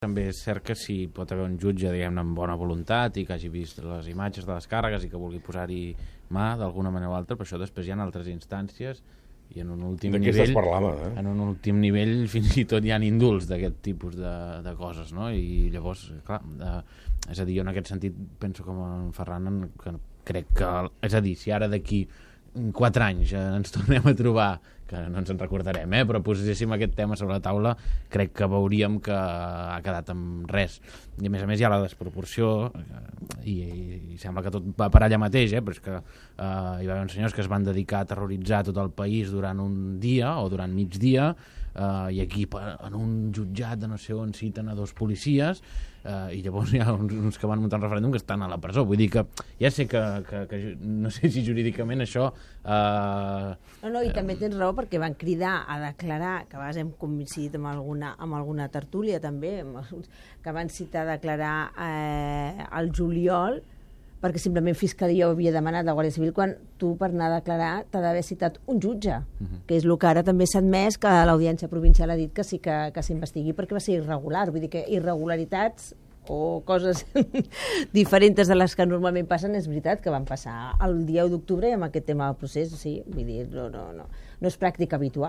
També és cert que si pot haver un jutge, diguem-ne, amb bona voluntat i que hagi vist les imatges de les càrregues i que vulgui posar-hi mà d'alguna manera o altra, però això després hi ha altres instàncies i en un últim nivell... En un últim nivell fins i tot hi ha indults d'aquest tipus de coses, no? I llavors, clar, és a dir, jo en aquest sentit penso com en Ferran, que crec que... És a dir, si ara d'aquí 4 anys ens tornem a trobar, que no ens en recordarem, però poséssim aquest tema sobre la taula, crec que veuríem que ha quedat amb res. I a més hi ha la desproporció, i sembla que tot va per allà mateix, però és que hi va haver uns senyors que es van dedicar a terroritzar tot el país durant un dia o durant mig dia, i aquí en un jutjat de no sé on citen a 2 policies, i llavors hi ha uns que van muntar un referèndum que estan a la presó. Vull dir que ja sé que no sé si jurídicament això... No, i també tens raó perquè van cridar a declarar, que a vegades hem coincidit amb alguna tertúlia també, que van citar a declarar al juliol, perquè simplement Fiscalia ho havia demanat la Guàrdia Civil, quan tu per anar a declarar t'ha d'haver citat un jutge, que és el que ara també s'ha admès, que l'Audiència Provincial ha dit que sí que s'investigui perquè va ser irregular. Vull dir que irregularitats o coses diferents de les que normalment passen, és veritat que van passar el dia 1 d'octubre i amb aquest tema del procés, sí, vull dir, no és pràctica habitual.